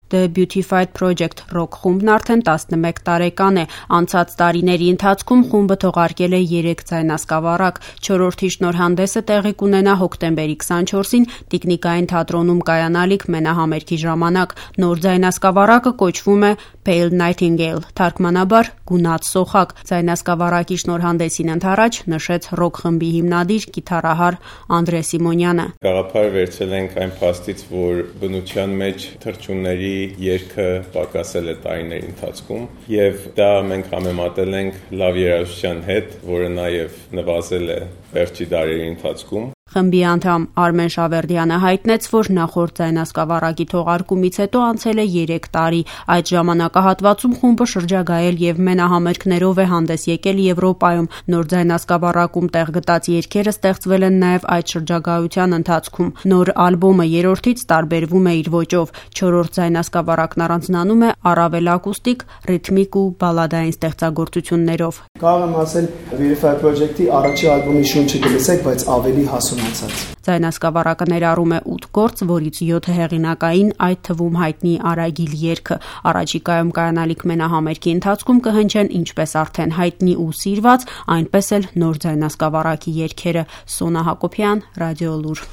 The Beautified Project ռոք խումբն արդեն 11 տարեկան է։ Անցած տարիների ընթացքում խումբը թողարկել է 3 ձայնասկավառակ։ 4-րդի շնորհանդեսը տեղի կունենա հոկտեմբերի 24-ին Տիկնիկային թատրոնում կայանալիք մենահամերգի ժամանակ։ Նոր ձայնասկավառակը կոչվում է Pale Nightingale, թարգմանաբար գունատ սոխակ։ Ձայնասկավառակի շնորհանդեսին ընդառաջ նշեց ռոք խմբի հիմնադիր կիթառահար Անդրե Սիմոնյանը։ Գաղափարը վերցել ենք այն փաստից, որ բնության մեջ թռչունների երգը պակասել է տարիների ընթացքում, եւ դա մենք համեմատել ենք լավ երաժշտության հետ, որը նաեւ նվազել է վերջի դարերի ընթացքում։ Խմբի անդամ Արմեն Շավերդյանը հայտնեց, որ նախորդ ձայնասկավառակի թողարկումից հետո անցել է 3 տարի։ Այդ ժամանակահատվածում խումբը շրջագայել եւ մենահամերգներով է հանդես եկել Եվրոպայում։ Նոր ձայնասկավառակում տեղ գտած երգերը ստեղծվել են նաեւ այդ շրջագայության ընթացքում։ Նոր ալբոմը 3-րդից տարբերվում է իր ոճով։ 4-րդ ձայնասկավառակն առանձնանում է առավել ակուստիկ, ռիթմիկ ու բալադային ստեղծագործություններով։ Կարող եմ ասել Beautified Project-ի առաջի ալբոմի շունչը կլսեք, բայց ավելի հասունացած։ Ձայնասկավառակը ներառում է 8 գործ, որից 7 հեղինակային, այդ թվում հայտնի Արագիլ երգը։ Առաջիկայում կայանալիք մենահամերգի ընթացքում կհնչեն ինչպես արդեն հայտնի ու սիրված, այնպես էլ նոր ձայնասկավառակի երգերը։ Սոնա Հակոբյան, Ռադիոլուր։